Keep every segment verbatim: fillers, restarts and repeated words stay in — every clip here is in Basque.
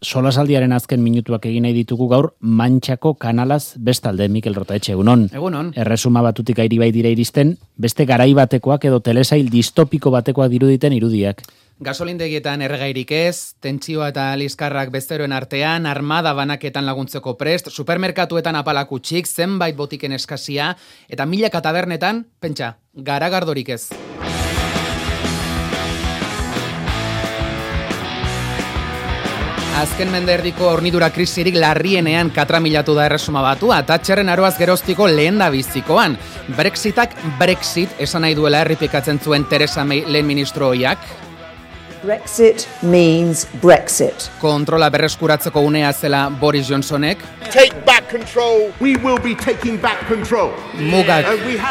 solasaldiaren azken minutuak egin nahi ditugu gaur Mantxako kanalaz bestalde, Mikel Rotaetxe, egunon. Egunon. Erresuma Batutik airi bai dira iristen, beste garai batekoak edo telesail distopiko batekoak diruditen irudiak. Gasolindegietan erregairik ez, tentsioa eta liskarrak bezeroen artean, armada banaketan laguntzeko prest, supermerkatuetan apalakutsik, zenbait botiken eskasia, eta milaka tabernetan, pentsa, garagardorik ez. Azken mende erdiko hornidura krisirik larrienean katramilatu da Erresuma Batua, Thatcherren aroaz geroztiko lehen da bizikoan. Brexitak Brexit esan nahi duela errepikatzen zuen Theresa May lehen ministro ohiak. Brexit means Brexit. Kontrola berreskuratzeko unea zela Boris Johnsonek. Take back control. We will be taking back control. Mugak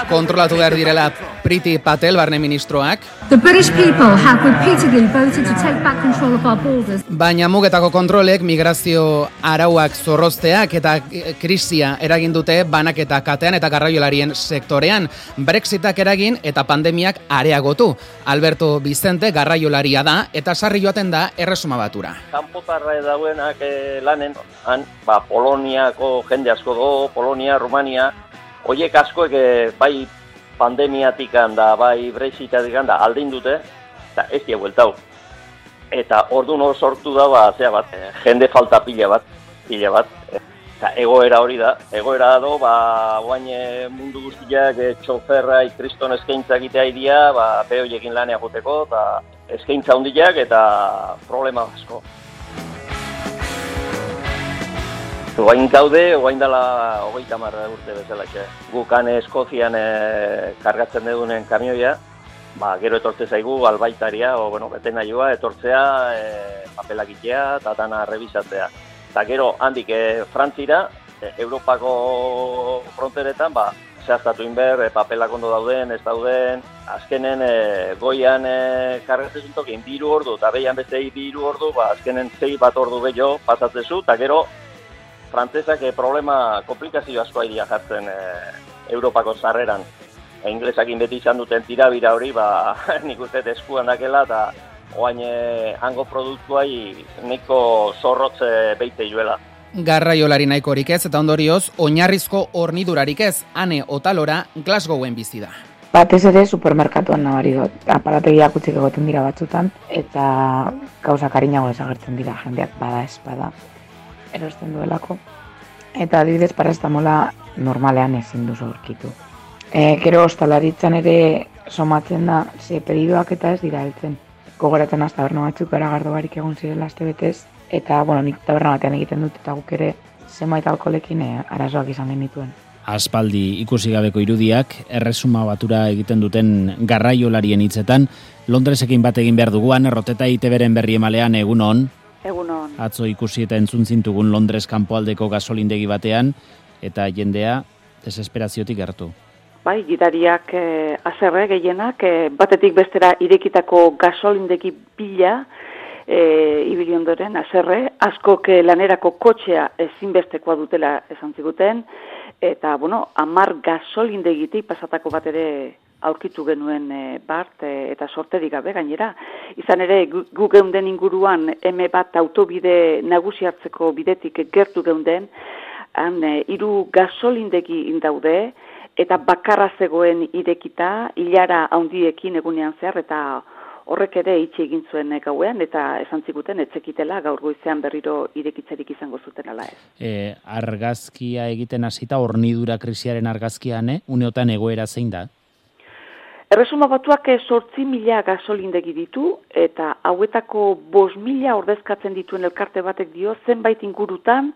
kontrolatu behar direla Priti Patel barne ministroak. The British people have repeatedly voted to take back control of our borders. Baina mugetako kontrolek migrazio arauak zorrozteak eta krisia eragin dute banaketa katean eta garraiolarien sektorean. Brexitak eragin eta pandemiak areagotu. Alberto Vicente garraiolaria da eta sarri joaten da Erresuma Batura. Kanpotarra dauenak eh, lanen, han, ba, Poloniako jende asko do, Polonia, Rumania, hoiek askoek eh, bai pandemiatikan da, bai brexitatikan da, aldin dute, eta ez dia bueltau. Eta orduan hor sortu da, ba, zea bat, eh, jende falta pila bat, pila bat. Eta egoera hori da, egoera do, ba, guain eh, mundu guztiak eh, txoferra, ikriston eskaintza egitea idia, ba, behoiekin lanea joteko, eta eskaintza hundiak eta problema asko. Oain gaude, oain dela hogeita hamar urte bezala. Gukan Eskozian e, kargatzen dugunen kamioia, ba, gero etortze zaigu albaitaria, o, bueno, bete nahioa, etortzea, e, papelagitea eta dana rebisatzea. Eta gero handik e, Frantzira, e, Europako fronteretan, ba, zehaztatu inber, e, papelak ondo dauden, ez dauden, azkenen e, goian e, kargatzen tokin biru ordu, eta behian beste biru ordu, ba, azkenen zei bat ordu gehiago pasatzezu, eta gero frantzesak e, problema, komplikazio asko haidia jartzen e, Europako sarreran. E, inglesakin beti izan duten tirabira hori, ba, nik uste eskuan dakela, eta oain e, hango produktuai niko zorrotze beite joela. Garraiolari nahikorik ez eta ondorioz, oinarrizko hornidurarik ez, ane otalora Glasgowen bizi da. Batez ere supermerkatuan nabari dut, aparategiak utzik egoten dira batzutan, eta gauzak arinago desagertzen dira, jendeak bada ez bada, erosten duelako. Eta adibidez parastamola normalean ezin duzu aurkitu. E, gero ostalaritzan ere somatzen da, ze pedidoak eta ez dira heltzen. Gogoratzen az taberna batzuk garagardo barik egon zirela aste betez, eta bueno, nik taberna batean egiten dut eta guk ere zenbait alkoholekin e, arazoak izan genituen. Aspaldi ikusi gabeko irudiak, Erresuma Batura egiten duten garraiolarien hitzetan, Londresekin bat egin behar duguan, Erroteta I T Bren berri emalean egunon. Egunon. Atzo ikusi eta entzun zintugun Londres kanpoaldeko gasolindegi batean, eta jendea desesperaziotik gertu. Bai, gidariak eh, azerre gehienak, eh, batetik bestera irekitako gasolindegi bila, e, ibili ondoren, azerre, askok lanerako kotxea ezinbestekoa dutela esan ziguten, eta, bueno, hamar gasolindegitik pasatako bat ere aurkitu genuen e, bart e, eta sorterik gabe gainera. Izan ere, gu, gu geunden inguruan M bat autobide nagusi hartzeko bidetik gertu geunden, han e, hiru gasolindegi indaude, eta bakarra zegoen irekita, hilara handiekin egunean zehar, eta horrek ere itxi egin zuen gauean, eta esan ziguten etzekitela gaur goizean berriro irekitzerik izango zuten ala ez. E, argazkia egiten hasita hornidura krisiaren argazkian, eh? Uneotan egoera zein da? Erresuma Batuak zortzi mila gasolindegi ditu, eta hauetako bost mila ordezkatzen dituen elkarte batek dio, zenbait ingurutan,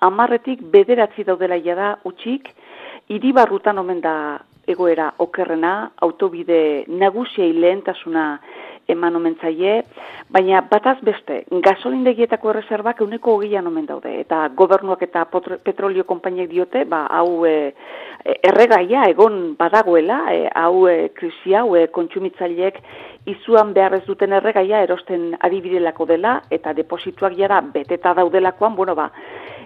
hamarretik bederatzi daudela jada utxik, hiribarrutan omen da egoera okerrena, autobide nagusiei lehentasuna eman omen zaie, baina bataz beste, gasolindegietako erreserbak euneko hogeian omen daude, eta gobernuak eta petrolio konpainiek diote, ba, hau e, erregaia egon badagoela, e, hau e, krisi hau e, kontsumitzaileek izuan behar ez duten erregaia erosten ari birelako dela, eta deposituak jara beteta daudelakoan, bueno ba,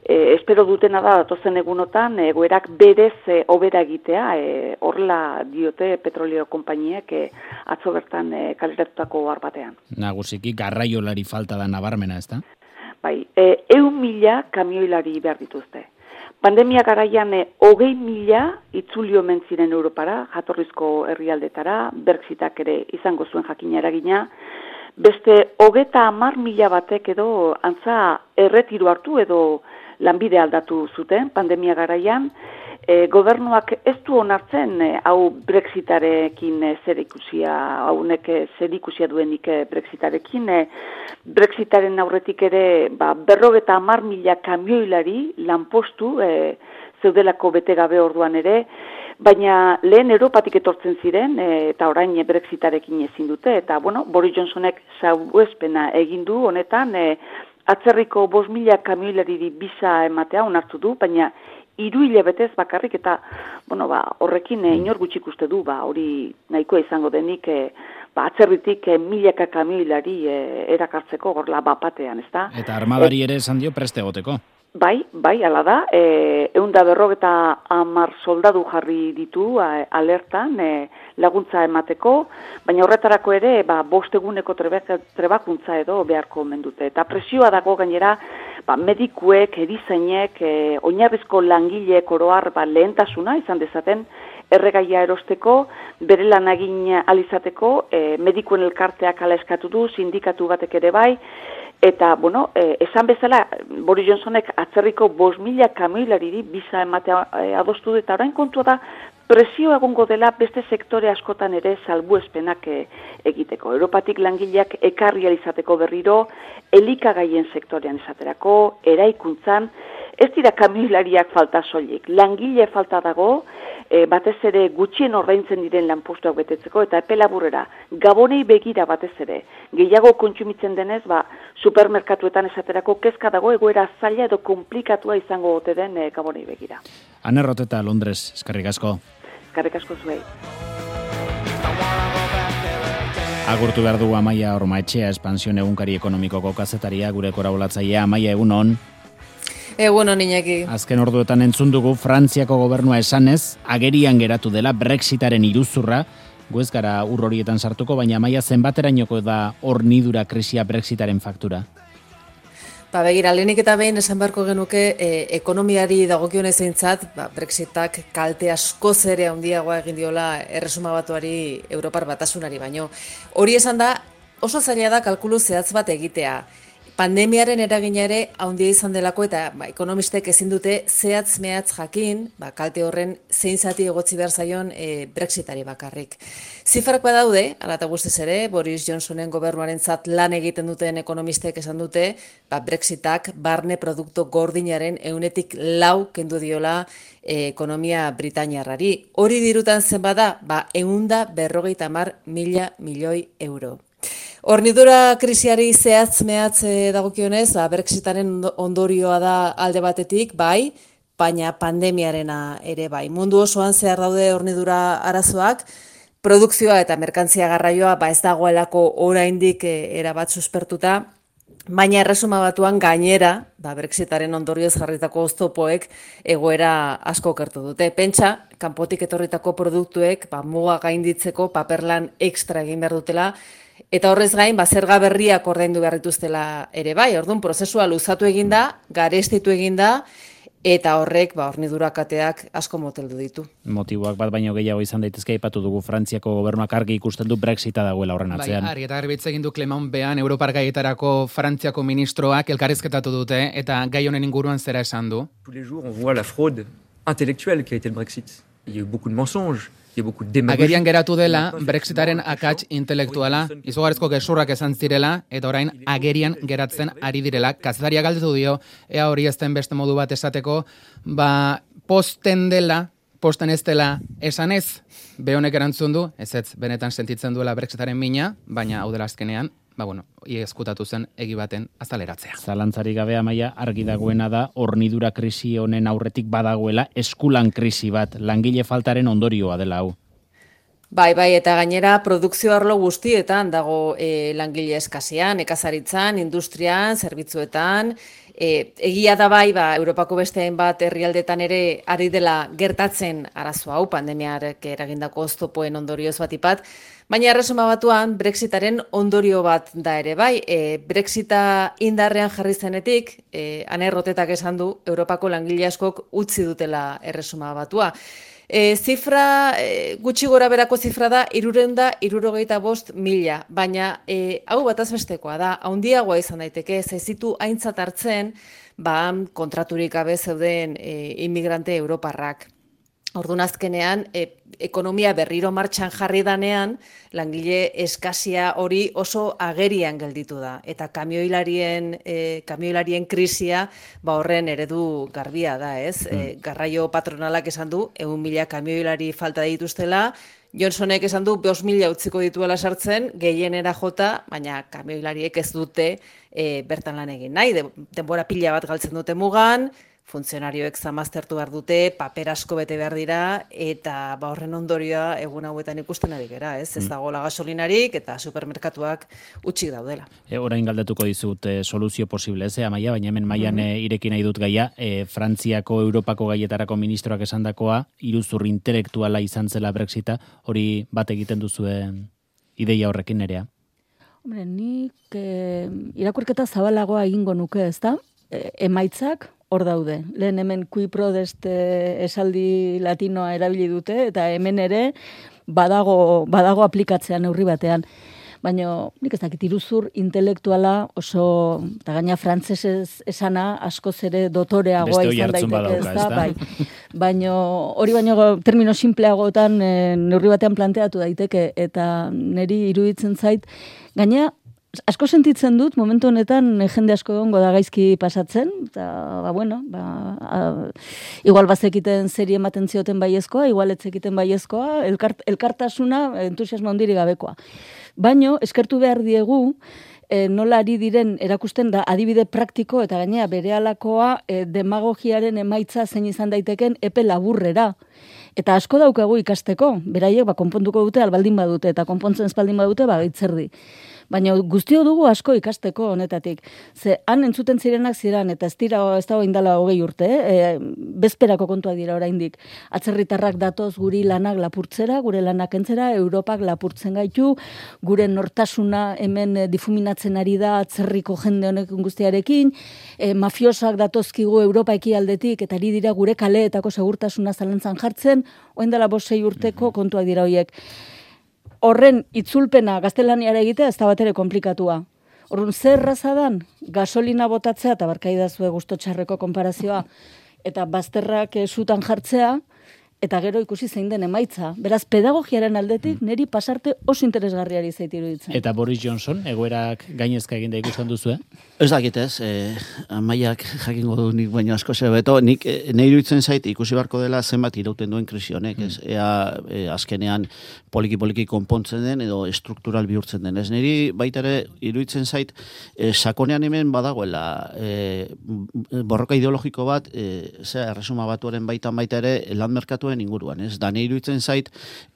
E, espero dutena da datozen egunotan egoerak berez e, hobera egitea, e, horrela diote petrolio konpainiek e, atzo bertan e, kaleratutako ohar batean. Nagusiki garraiolari falta da nabarmena, ezta? bai, e, eun mila kamioilari behar dituzte. Pandemia garaian e, hogei mila itzuli omen ziren Europara, jatorrizko herrialdetara, Brexitak ere izango zuen jakina eragina, beste hogeta hamar mila batek edo antza erretiru hartu edo lanbide aldatu zuten pandemia garaian, e, gobernuak ez du onartzen e, hau Brexitarekin e, zer ikusia, haunek e, zer ikusia duenik e, Brexitarekin, e, Brexitaren aurretik ere ba, berrogeta hamar mila kamioilari lanpostu e, zeudelako bete gabe orduan ere, baina lehen Europatik etortzen ziren e, eta orain Brexitarekin ezin dute, eta bueno, Boris Johnsonek salbuespena egin du honetan, e, atzerriko bost mila kamioilariri bisa ematea onartu du, baina hiru hilabetez bakarrik eta bueno, ba, horrekin e, inor gutxik uste du, ba, hori nahikoa izango denik e, ba, atzerritik e, milaka kamioilari e, erakartzeko gorla bapatean, ezta? Eta armadari ere esan dio preste egoteko. Bai, bai, ala da, e, eunda berrogeta hamar soldadu jarri ditu a, alertan e, laguntza emateko, baina horretarako ere ba, bost eguneko trebakuntza edo beharko omen dute. Eta presioa dago gainera ba, medikuek, erizainek, e, oinarrizko langileek oroar ba, lehentasuna izan dezaten erregaia erosteko, bere lan egin alizateko, e, medikuen elkarteak ala eskatu du, sindikatu batek ere bai, eta, bueno, eh, esan bezala, Boris Johnsonek atzerriko bost mila kamioilariri bisa ematea eh, adostu eta orain kontua da presio egongo dela beste sektore askotan ere salbuespenak eh, egiteko. Europatik langileak ekarri izateko berriro, elikagaien sektorean esaterako, eraikuntzan, ez dira kamioilariak falta soilik, langile falta dago, e, batez ere gutxien ordaintzen diren lanpostuak betetzeko, eta epe laburrera, gabonei begira batez ere, gehiago kontsumitzen denez, ba, supermerkatuetan esaterako kezka dago egoera zaila edo komplikatua izango ote den e, gabonei begira. Ane Roteta, Londres, eskerrik asko. Eskerrik asko zuei. Agurtu behar du Amaia Ormaetxea, Espansión egunkari ekonomikoko kazetaria, gure korabolatzailea. Amaia, egunon. Egunon, Iñaki. Azken orduetan entzun dugu Frantziako gobernua esanez, agerian geratu dela Brexitaren iruzurra, gu ez gara ur horietan sartuko, baina Amaia zenbaterainoko da hornidura krisia Brexitaren faktura? Ba, begira, lehenik eta behin esan beharko genuke e, ekonomiari dagokionez eintzat, ba, Brexitak kalte askoz ere handiagoa egin diola Erresuma Batuari Europar Batasunari baino. Hori esan da, oso zaila da kalkulu zehatz bat egitea. Pandemiaren eragina ere handia izan delako eta ba, ekonomistek ezin dute zehatz mehatz jakin, ba, kalte horren zein zati egotzi behar zaion e, Brexitari bakarrik. Zifrak badaude, hala eta guztiz ere, Boris Johnsonen gobernuarentzat lan egiten duten ekonomistek esan dute, ba, Brexitak barne produktu gordinaren ehunetik lau kendu diola e, ekonomia britainiarrari. Hori dirutan zen bada, ba, ehunda berrogeita hamar mila milioi euro. Hornidura krisiari zehatz mehatz dagokionez, Brexitaren ondorioa da alde batetik, bai, baina pandemiarena ere bai. Mundu osoan zehar daude hornidura arazoak, produkzioa eta merkantzia garraioa ba ez dagoelako oraindik erabat suspertuta, baina Erresuma Batuan gainera, ba Brexitaren ondorioz jarritako oztopoek egoera asko okertu dute. Pentsa, kanpotik etorritako produktuek ba muga gainditzeko paperlan ekstra egin behar dutela, eta horrez gain, ba, zerga berriak ordaindu behar dituztela ere bai. Orduan, prozesua luzatu eginda, garestitu eginda, eta horrek, ba, hornidura kateak asko moteldu ditu. Motiboak bat baino gehiago izan daitezke, aipatu dugu Frantziako gobernuak argi ikusten du Brexita dagoela horren atzean. Bai, argi eta garbitz egin du Clement Bean, Europar gaietarako Frantziako ministroak elkarrizketatu dute, eta gai honen inguruan zera esan du. Tous les jours, on voit la fraude intellectuelle qui a été le Brexit. Il y a eu beaucoup de mensonges. Agerian geratu dela Brexitaren akats intelektuala, izugarrizko gezurrak esan zirela, eta orain agerian geratzen ari direla. Kazetaria galdetu dio, ea hori ezten beste modu bat esateko, ba posten dela, posten ez dela esan ez, behonek erantzun du, ez ez, benetan sentitzen duela Brexitaren mina, baina hau dela azkenean, ba bueno, iezkutatu zen egi baten azaleratzea. Zalantzari gabe Amaia, argi dagoena da hornidura krisi honen aurretik badagoela eskulan krisi bat, langile faltaren ondorioa dela hau. Bai, bai, eta gainera produkzio arlo guztietan dago e, langile eskasean, nekazaritzan, industrian, zerbitzuetan, e, egia da bai, ba, Europako beste hainbat herrialdetan ere ari dela gertatzen arazo hau, pandemiarek eragindako oztopoen ondorioz batipat, Baina Erresuma Batuan Brexitaren ondorio bat da ere bai. E, Brexita indarrean jarri zenetik, e, Ane Rotetak esan du, Europako langile askok utzi dutela Erresuma Batua. E, zifra, e, gutxi gora berako zifra da, hirurehun eta hirurogeita bost mila, baina e, hau bataz bestekoa da, handiagoa izan daiteke, zaizitu aintzat hartzen, ba, kontraturik gabe zeuden e, inmigrante europarrak. Orduan azkenean, e, ekonomia berriro martxan jarri danean, langile eskasia hori oso agerian gelditu da. Eta kamioilarien, e, kamioilarien krisia ba horren eredu garbia da, ez? Mm. E, garraio patronalak esan du, ehun mila kamioilari falta dituztela, Johnsonek esan du, bost mila utziko dituela sartzen, gehienera jota, baina kamioilariek ez dute e, bertan lan egin nahi. De, denbora pila bat galtzen dute mugan, funtzionarioek zamaztertu behar dute, paper asko bete behar dira, eta ba horren ondorioa egun hauetan ikusten ari gera, ez? Ez dagoela gasolinarik eta supermerkatuak utxik daudela. E, orain galdetuko dizut e, soluzio posible, ez, Amaia, baina hemen mailan mm -hmm. ireki nahi dut gaia, e, Frantziako Europako gaietarako ministroak esandakoa, iruzur intelektuala izan zela Brexita, hori bat egiten duzuen ideia horrekin nerea? Hombre, nik e, irakurketa zabalagoa egingo nuke, ez da? E, emaitzak, hor daude. Lehen hemen kui prodest esaldi latinoa erabili dute, eta hemen ere badago, badago aplikatzea neurri batean. Baina nik ez dakit iruzur intelektuala oso, eta gaina frantsesez esana askoz ere dotoreagoa izan daiteke, ez da? Bai. Baina hori baino termino simpleagotan e, neurri batean planteatu daiteke, eta niri iruditzen zait, gaina asko sentitzen dut, momentu honetan jende asko egongo da gaizki pasatzen, eta, ba, bueno, ba, a, igual bazekiten zeri ematen zioten baiezkoa, igual etzekiten baiezkoa, elkart, elkartasuna, entusiasmo handiri gabekoa. Baino, eskertu behar diegu, e, nola ari diren erakusten da adibide praktiko, eta gainea berealakoa e, demagogiaren emaitza zein izan daiteken epe laburrera. Eta asko daukagu ikasteko, beraiek ba, konpontuko dute albaldin badute, eta konpontzen espaldin badute ba, gaitzerdi. Baina guztio dugu asko ikasteko honetatik. Ze han entzuten zirenak ziren, eta ez dira ez dago indala hogei urte, e, bezperako kontuak dira oraindik. Atzerritarrak datoz guri lanak lapurtzera, gure lanak entzera, Europak lapurtzen gaitu, gure nortasuna hemen difuminatzen ari da atzerriko jende honek guztiarekin, e, mafiosak datozkigu Europa ekialdetik, eta ari dira gure kaleetako segurtasuna zalantzan jartzen, oindala bost sei urteko kontuak dira hoiek. Horren itzulpena gaztelaniara egitea ez da bat ere komplikatua. Horren zer razadan gasolina botatzea, eta barkaidazue gusto txarreko konparazioa, eta bazterrak sutan jartzea, eta gero ikusi zein den emaitza. Beraz, pedagogiaren aldetik niri pasarte oso interesgarriari zait iruditzen. Eta Boris Johnson, egoerak gainezka eginda ikusten duzu, eh? Ez dakit ez, eh, Amaiak jakingo du nik baino asko zer beto, nik eh, nahi iruditzen zait ikusi barko dela zenbat irauten duen krisi honek, ez? Ea eh, azkenean poliki-poliki konpontzen den edo struktural bihurtzen den. Ez niri baita ere iruditzen zait eh, sakonean hemen badagoela eh, borroka ideologiko bat, eh, zera, Erresuma Batuaren baitan baita ere lan merkatu inguruan, ez? Da nahi iruditzen zait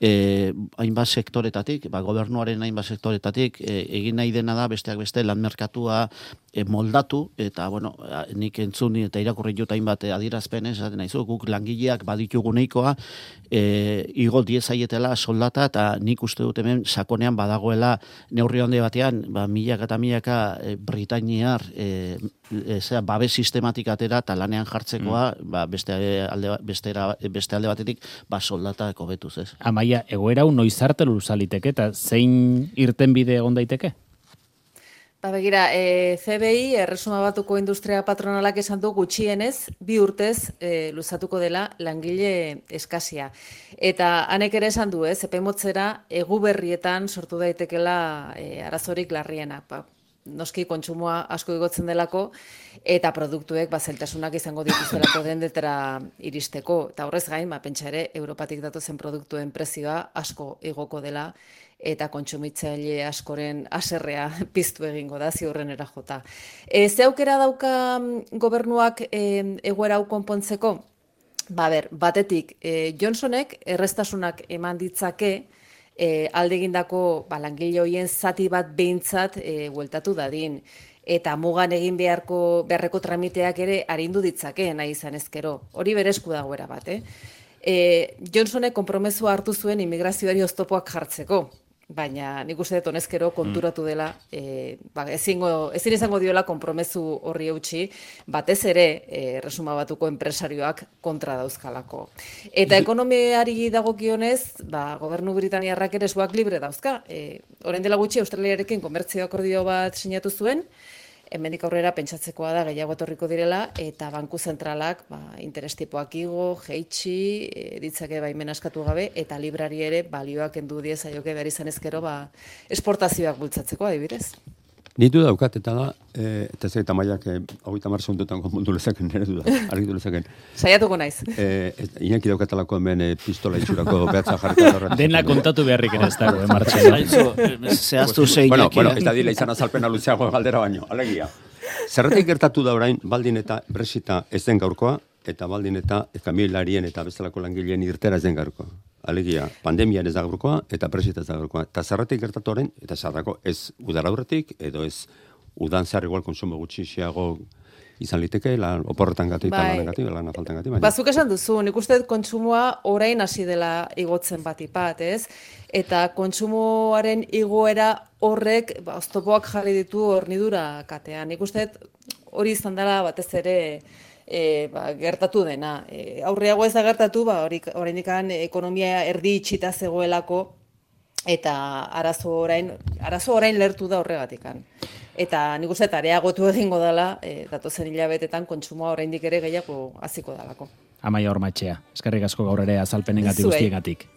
eh, hainbat sektoretatik, ba, gobernuaren hainbat sektoretatik eh, egin nahi dena da besteak beste lan merkatua eh, moldatu, eta bueno, nik entzun eta irakurri jut hainbat adierazpen, ez? Naizu, guk langileak baditugu nahikoa, eh, igo diezaietela soldata, eta nik uste dut hemen sakonean badagoela neurri handi batean, ba, milaka eta milaka eh, Britainiar eh, Ezea, babes sistematik atera eta lanean jartzekoa, mm. ba, beste alde, beste, beste alde batetik ba, soldatak hobetuz, ez? Amaia, egoera hau noiz arte luzaliteke eta zein irtenbide egon daiteke? Ba, begira, e, C B I, Erresuma Batuko Industria Patronalak esan du gutxienez, bi urtez e, luzatuko dela langile eskasia. Eta hanek ere esan du, ez, epe motzera egu berrietan sortu daitekela e, arazorik larriena. Ba, noski kontsumoa asko igotzen delako, eta produktuek bazeltasunak izango dituztelako dendetara iristeko. Eta horrez gain, ba, pentsa ere, Europatik datozen produktuen prezioa asko igoko dela, eta kontsumitzaile askoren haserrea piztu egingo da, ziurrenera jota. E, ze aukera dauka gobernuak e, egoera hau konpontzeko? Ba, ber, batetik, e, Johnsonek erreztasunak eman ditzake, E, alde egindako ba, langile horien zati bat behintzat e, bueltatu dadin. Eta mugan egin beharko beharreko tramiteak ere arindu ditzake, nahi izan ezkero. Hori berezku dagoera bat, eh? E, Johnsonek konpromesua hartu zuen immigrazioari oztopoak jartzeko. baina nik uste dut honezkero konturatu dela, e, ba, ezingo, ezin izango diola konpromezu horri eutxi, batez ere e, Erresuma Batuko enpresarioak kontra dauzkalako. Eta ekonomiari dagokionez, ba, gobernu britaniarrak ere eskuak libre dauzka. E, orain dela gutxi Australiarekin komertzio akordio bat sinatu zuen, hemendik aurrera pentsatzekoa da gehiago etorriko direla, eta banku zentralak ba, interestipoak igo, jeitsi, e, ditzake baimen askatu gabe, eta librari ere balioak kendu die zaioke behar izan ezkero ba, esportazioak bultzatzeko adibidez. Nitu daukat, eta da, e, eta ez eta maiak hogeita hamar segundotan konpondu lezaken, nire du da, argitu lezaken. Saiatuko naiz. E, Inaki daukatalako hemen e, pistola itxurako behatza jarriko. Dena kontatu beharrik ere ez dago, eh, Martxelo. Zehaztu zeinek. Bueno, bueno, ez da dila izan azalpena luzeago galdera baino, alegia. Zerratik gertatu da orain, baldin eta Brexita ez den gaurkoa, eta baldin eta kamioilarien eta bestelako langileen irtera ez den gaurkoa. Alegia, pandemian ez da gaurkoa, eta Brexita ez da gaurkoa. Eta zerratik gertatu orain, eta zerrako ez udara aurretik, edo ez udan zehar igual konsumo gutxixiago izan liteke, lan oporretan gati, bai, lan gati, lan afaltan gati. Bazuk esan duzu, nik uste dut kontsumoa orain hasi dela igotzen batipat, ez? Eta kontsumoaren igoera horrek, ba, oztopoak jarri ditu hornidura katean. Nik uste dut hori izan dela batez ere E, ba, gertatu dena. E, aurreago ez da gertatu, ba, oraindik ekonomia erdi itxita zegoelako, eta arazo orain, arazo orain lertu da horregatikan. Eta nik uste areagotu egingo dela, e, datozen hilabetetan kontsumoa oraindik ere gehiago hasiko dalako. Amaia Ormatxea, eskerrik asko gaur ere azalpenengatik guztiengatik.